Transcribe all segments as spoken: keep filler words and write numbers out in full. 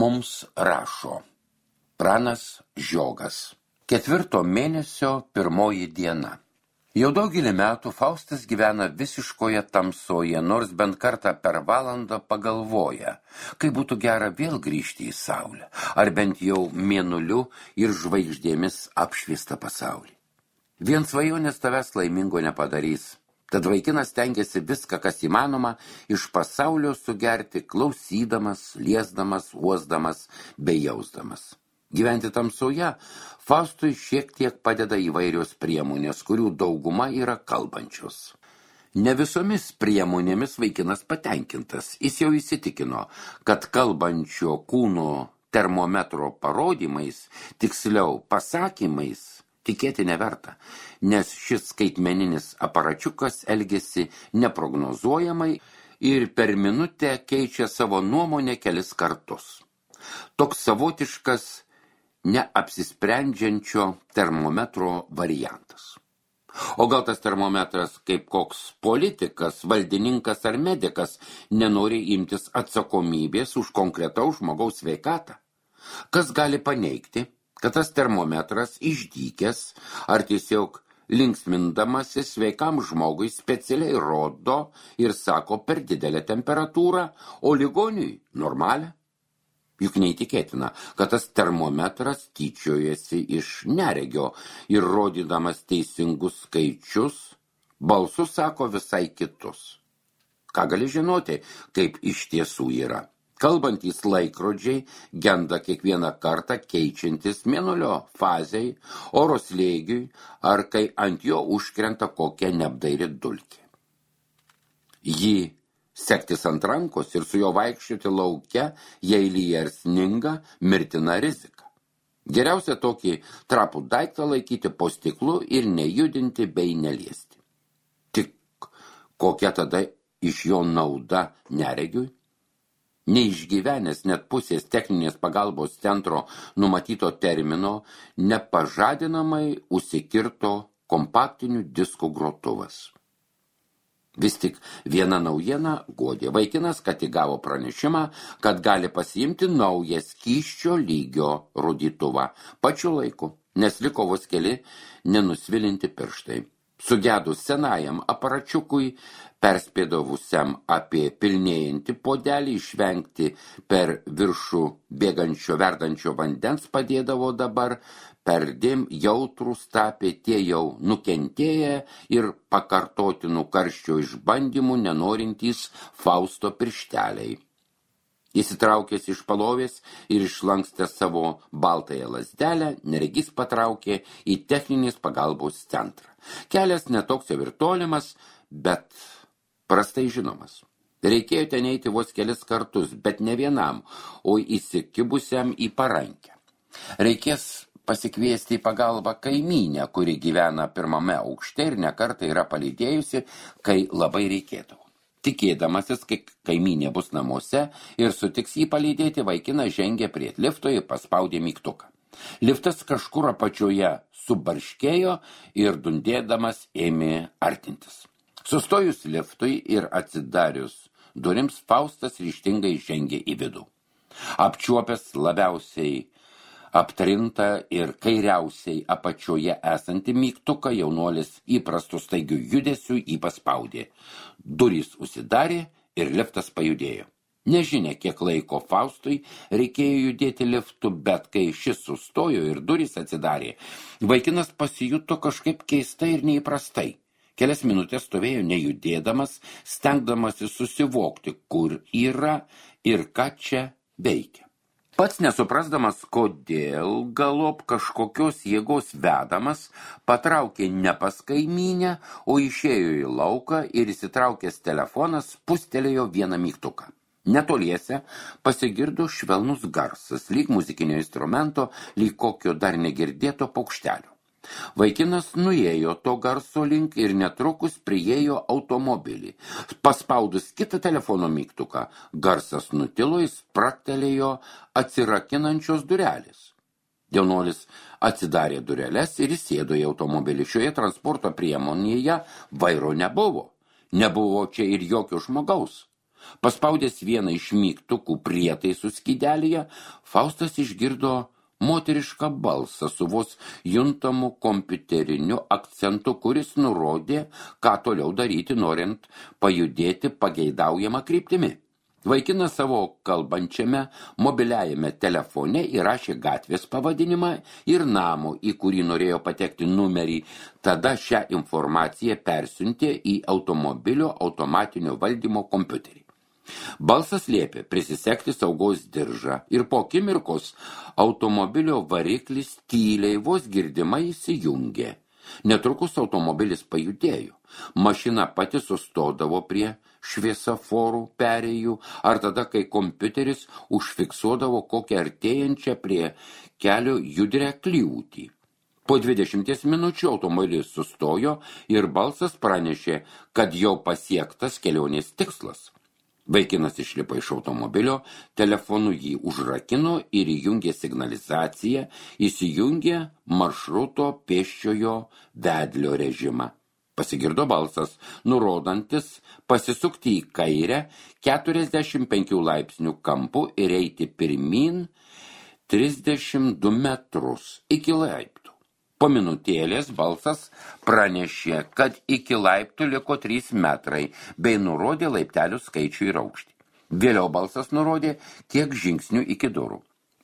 mums rašo Pranas Žiogas. Ketvirto mėnesio pirmoji diena. Jau daugelį metų Faustas gyvena visiškoje tamsoje, nors bent kartą per valandą pagalvoja, kaip būtų gera vėl grįžti į saulę, ar bent jau mėnuliu ir žvaigždėmis apšviestą pasaulį. Vien svajonės tavęs laimingo nepadarys, tad vaikinas stengiasi viską, kas įmanoma, iš pasaulio sugerti, klausydamas, liesdamas, uosdamas bei jausdamas. Gyventi tamsoje Faustui šiek tiek padeda įvairios priemonės, kurių dauguma yra kalbančios. Ne visomis priemonėmis vaikinas patenkintas. Jis jau įsitikino, kad kalbančio kūno termometro parodymais, tiksliau pasakymais, tikėti neverta, nes šis skaitmeninis aparačiukas elgiasi neprognozuojamai ir per minutę keičia savo nuomonę kelis kartus. Toks savotiškas neapsisprendžiančio termometro variantas. O gal tas termometras, kaip koks politikas, valdininkas ar medikas, nenori imtis atsakomybės už konkretaus žmogaus sveikatą? Kas gali paneigti, kad tas termometras išdykęs ar tiesiog linksmindamasis sveikam žmogui specialiai rodo ir sako per didelę temperatūrą, o ligoniui normalią? Juk neįtikėtina, kad tas termometras tyčiojasi iš neregio ir rodydamas teisingus skaičius, balsu sako visai kitus. Ką gali žinoti, kaip iš tiesų yra? Kalbantys laikrodžiai genda kiekvieną kartą keičiantis mėnulio fazei, oro slėgiui ar kai ant jo užkrenta kokia neapdairi dulkė. Jį sektis ant rankos ir su jo vaikščioti lauke, jei lyja ar sninga, mirtina rizika. Geriausia tokį trapų daiktą laikyti po stiklu ir nejudinti bei neliesti. Tik kokia tada iš jo nauda neregiui? Neišgyvenęs net pusės techninės pagalbos centro numatyto termino, nepažadinamai užsikirto kompaktinių diskų grotuvas. Vis tik viena naujiena guodė. Vaikinas ką tik gavo pranešimą, kad gali pasiimti naują skysčio lygio rodytuvą pačiu laiku, nes liko vos keli nenusvilinti pirštai. Sugedus senajam aparačiukui, perspėdavusiam apie pilnėjantį puodelį, išvengti per viršų bėgančio verdančio vandens padėdavo dabar, perdėm jautrūs tapė tie jau nukentėję ir pakartotinų karščio išbandymų nenorintys Fausto piršteliai. Įsitraukęs iš palovės ir išlankstęs savo baltąją lazdelę, neregys patraukė į techninės pagalbos centrą. Kelias netoks jau ir tolimas, bet prastai žinomas. Reikėjo ten eiti vos kelis kartus, bet ne vienam, o įsikibusiam į parankę. Reikės pasikviesti į pagalbą kaimynę, kuri gyvena pirmame aukšte ir nekartą yra palydėjusi, kai labai reikėdavo. Tikėdamasis, kai kaimynė bus namuose ir sutiks jį palydėti, vaikinas žengė prie lifto ir paspaudė mygtuką. Liftas kažkur apačioje subarškėjo ir dundėdamas ėmė artintis. Sustojus liftui ir atsidarius durims, Faustas ryžtingai žengė į vidų. Apčiuopęs labiausiai aptrintą ir kairiausiai apačioje esantį mygtuką, jaunuolis įprastu staigiu judesiu jį paspaudė. Durys užsidarė ir liftas pajudėjo. Nežinia, kiek laiko Faustui reikėjo judėti liftu, bet kai šis sustojo ir durys atsidarė, vaikinas pasijuto kažkaip keistai ir neįprastai. Kelias minutės stovėjo nejudėdamas, stengdamasi susivokti, kur yra ir ką čia veikia. Pats nesuprasdamas, kodėl galop kažkokios jėgos vedamas, patraukė ne pas kaimynę, o išėjo į lauką ir įsitraukęs telefonas spustelėjo vieną mygtuką. Netoliese pasigirdo švelnus garsas, lyg muzikinio instrumento, lyg kokio dar negirdėto paukštelio. Vaikinas nuėjo to garso link ir netrukus priėjo automobilį. Paspaudus kitą telefono mygtuką, garsas nutilo, jis spraktelėjo atsirakinančios durelės. Jaunuolis atsidarė dureles ir įsėdo į automobilį. Šioje transporto priemonėje vairo nebuvo. Nebuvo čia ir jokio žmogaus. Paspaudęs vieną iš mygtukų prietaisų skydelėje, Faustas išgirdo moterišką balsą su vos juntamu kompiuteriniu akcentu, kuris nurodė, ką toliau daryti, norint pajudėti pageidaujamą kryptimi. Vaikinas savo kalbančiame mobiliajame telefone įrašė gatvės pavadinimą ir namo, į kurį norėjo patekti numerį. Tada šią informaciją persiuntė į automobilio automatinio valdymo kompiuterį. Balsas liepė prisisekti saugos diržą ir po akimirkos automobilio variklis tyliai vos girdimai įsijungė. Netrukus automobilis pajudėjo. Mašina pati sustodavo prie šviesaforų perėjų ar tada, kai kompiuteris užfiksuodavo kokią artėjančią prie kelio judrią kliūtį. Po dvidešimties minučių automobilis sustojo ir balsas pranešė, kad jau pasiektas kelionės tikslas. Vaikinas išlipo iš automobilio, telefonu jį užrakino ir įjungė signalizaciją, įsijungė maršruto pėsčiojo vedlio režimą. Pasigirdo balsas, nurodantis pasisukti į kairę keturiasdešimt penkių laipsnių kampu ir eiti pirmyn trisdešimt du metrus iki laiptų. Po minutėlės balsas pranešė, kad iki laiptų liko trys metrai, bei nurodė laiptelių skaičių ir aukštį. Vėliau balsas nurodė, kiek žingsnių iki durų.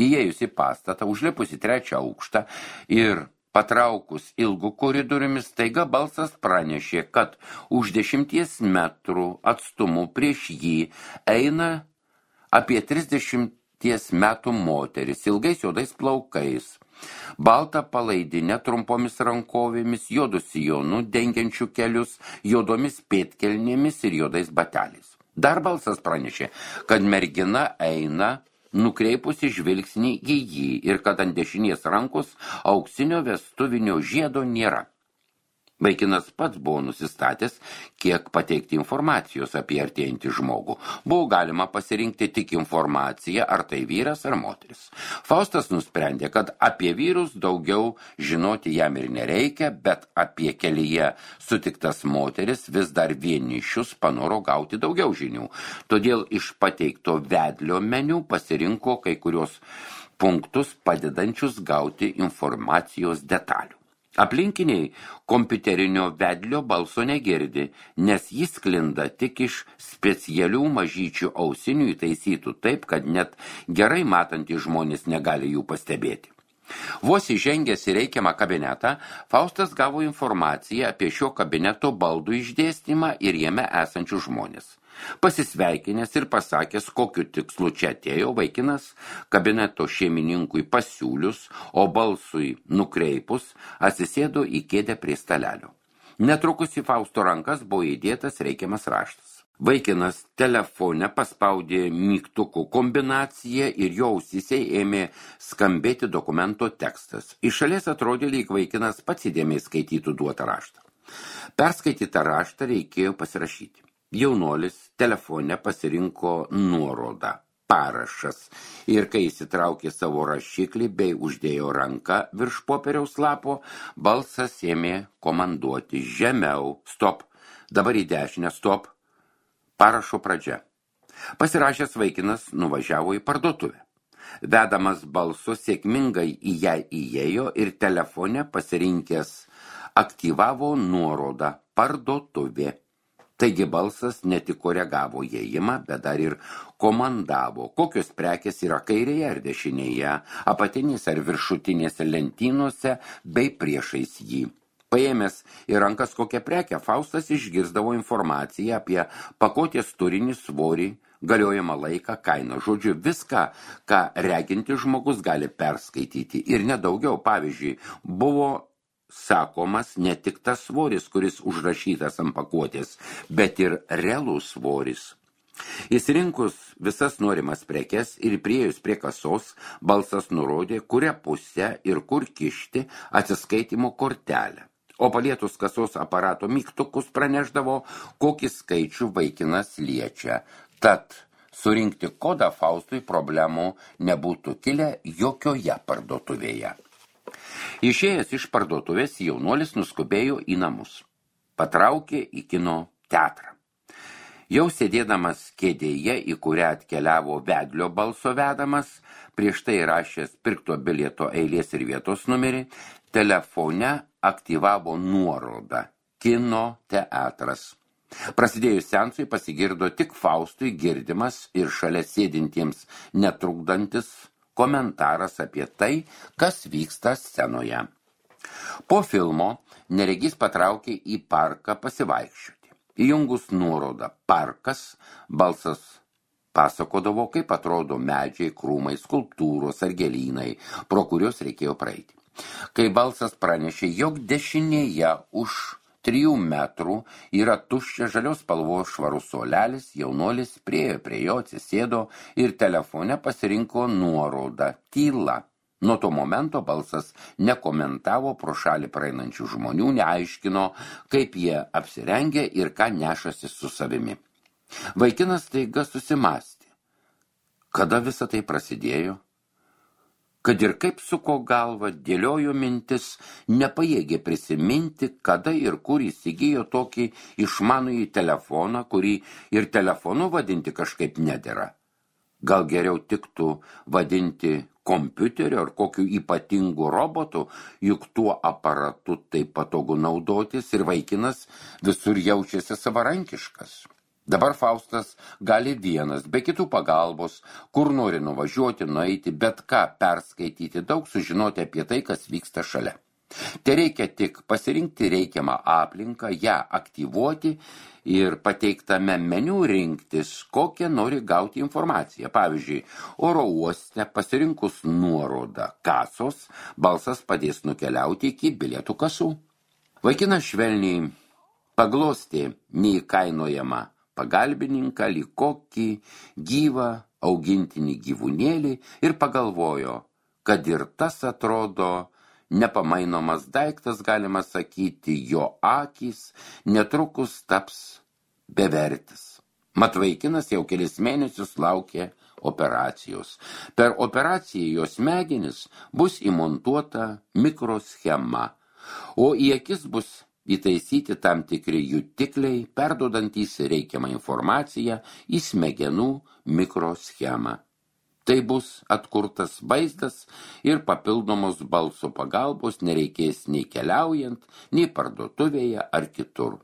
Įėjus į pastatą, užlipus į trečią aukštą ir patraukus ilgų koridoriumis, staiga balsas pranešė, kad už dešimties metrų atstumų prieš jį eina apie trisdešimties metų moteris, ilgais juodais plaukais, baltą palaidinę trumpomis rankovėmis, juodų sijonų dengiančių kelius, juodomis pėdkelnėmis ir juodais bateliais. Dar balsas pranešė, kad mergina eina nukreipusi žvilgsnį į jį ir kad ant dešinės rankos auksinio vestuvinio žiedo nėra. Vaikinas pats buvo nusistatęs, kiek pateikti informacijos apie artėjantį žmogų. Buvo galima pasirinkti tik informaciją, ar tai vyras ar moteris. Faustas nusprendė, kad apie vyrus daugiau žinoti jam ir nereikia, bet apie kelyje sutiktas moteris vis dar vienišius panoro gauti daugiau žinių. Todėl iš pateikto vedlio meniu pasirinko kai kurios punktus padedančius gauti informacijos detalių. Aplinkiniai kompiuterinio vedlio balso negirdi, nes jis sklinda tik iš specialių mažyčių ausinių įtaisytų taip, kad net gerai matantys žmonės negali jų pastebėti. Vos įžengęs į reikiamą kabinetą, Faustas gavo informaciją apie šio kabineto baldų išdėstymą ir jame esančių žmonės. Pasisveikinęs ir pasakęs, kokiu tikslu čia atėjo, vaikinas kabineto šeimininkui pasiūlius, o balsui nukreipus, atsisėdo į kėdę prie stalelio. Netrukus į Fausto rankas buvo įdėtas reikiamas raštas. Vaikinas telefone paspaudė mygtukų kombinaciją ir jo ausyse ėmė skambėti dokumento tekstas. Iš šalies atrodė, lyg vaikinas pats įdėmiai skaitytų duotą raštą. Perskaitytą raštą reikėjo pasirašyti. Jaunuolis telefone pasirinko nuorodą, parašas, ir kai įsitraukė savo rašiklį bei uždėjo ranką virš popieriaus lapo, balsas ėmė komanduoti žemiau, stop, dabar į dešinę, stop, parašo pradžia. Pasirašęs vaikinas nuvažiavo į parduotuvę. Vedamas balso sėkmingai į ją įėjo ir telefone pasirinkęs aktyvavo nuorodą parduotuvė. Taigi balsas ne tik koregavo įėjimą, bet dar ir komandavo, kokios prekės yra kairėje ar dešinėje, apatinėse ar viršutinėse lentynose bei priešais jį. Paėmęs į rankas kokią prekę, Faustas išgirsdavo informaciją apie pakotės turinį, svorį, galiojamą laiką, kainą. Žodžiu, viską, ką regintis žmogus gali perskaityti ir nedaugiau. Pavyzdžiui, buvo sakomas ne tik tas svoris, kuris užrašytas ant pakuotės, bet ir realus svoris. Įsirinkus visas norimas prekes ir priėjus prie kasos, balsas nurodė, kurią pusę ir kur kišti atsiskaitimo kortelę. O palietus kasos aparato mygtukus pranešdavo, kokį skaičių vaikinas liečia. Tad surinkti kodą Faustui problemų nebūtų kilę jokioje parduotuvėje. Išėjęs iš parduotuvės, jaunuolis nuskubėjo į namus. Patraukė į kino teatrą. Jau sėdėdamas kėdėje, į kurią atkeliavo vedlio balso vedamas, prieš tai rašęs pirkto bilieto eilės ir vietos numerį, telefone aktyvavo nuorodą kino teatras. Prasidėjus seansui pasigirdo tik Faustui girdimas ir šalia sėdintiems netrukdantis komentaras apie tai, kas vyksta scenoje. Po filmo neregys patraukė į parką pasivaikščioti. Įjungus nuorodą parkas, balsas pasakodavo, kaip atrodo medžiai, krūmai, skulptūros ar gėlynai, pro kurios reikėjo praeiti. Kai balsas pranešė, jog dešinėje už trijų metrų yra tuščia žalios spalvos švarus suolelis, jaunuolis priėjo prie jo, atsisėdo ir telefone pasirinko nuorodą tyla. Nuo to momento balsas nekomentavo pro šalį praeinančių žmonių, neaiškino, kaip jie apsirengė ir ką nešasi su savimi. Vaikinas staiga susimąstė. Kada visa tai prasidėjo? Kad ir kaip suko galva, dėliojo mintis, nepajėgė prisiminti, kada ir kur įsigijo tokį išmanųjį telefoną, kurį ir telefonu vadinti kažkaip nedera. Gal geriau tiktų vadinti kompiuteriu ar kokiu ypatingu robotu, juk tuo aparatu taip patogu naudotis ir vaikinas visur jaučiasi savarankiškas. Dabar Faustas gali vienas, be kitų pagalbos, kur nori nuvažiuoti, nueiti, bet ką perskaityti, daug sužinoti apie tai, kas vyksta šalia. Tai reikia tik pasirinkti reikiamą aplinką, ją aktyvuoti ir pateiktame meniu rinktis, kokią nori gauti informaciją. Pavyzdžiui, oro uoste pasirinkus nuorodą kasos, balsas padės nukeliauti iki bilietų kasų. Vaikinas švelniai paglostė neįkainojamą pagalbininką, lyg kokį gyvą augintinį gyvūnėlį ir pagalvojo, kad ir tas atrodo nepamainomas daiktas, galima sakyti, jo akys netrukus taps bevertis. Mat vaikinas jau kelis mėnesius laukė operacijos. Per operaciją jo smegenis bus įmontuota mikroschema, o į akis bus įtaisyti tam tikri jutikliai, perduodantys reikiamą informaciją į smegenų mikroschemą. Tai bus atkurtas vaizdas ir papildomos balso pagalbos nereikės nei keliaujant, nei parduotuvėje ar kitur.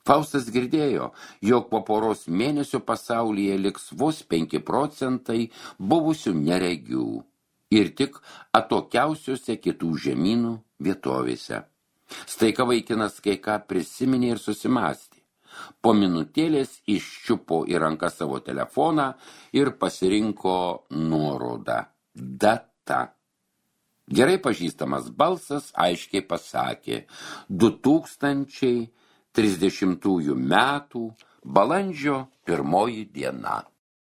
Faustas girdėjo, jog po poros mėnesių pasaulyje liks vos penki procentai buvusių neregių ir tik atokiausiuose kitų žemynų vietovėse. Staiga vaikinas kai ką prisiminė ir susimąstė. Po minutėlės iščiupo į ranką savo telefoną ir pasirinko nuorodą data. Gerai pažįstamas balsas aiškiai pasakė du tūkstančiai trisdešimtųjų metų balandžio pirmoji diena.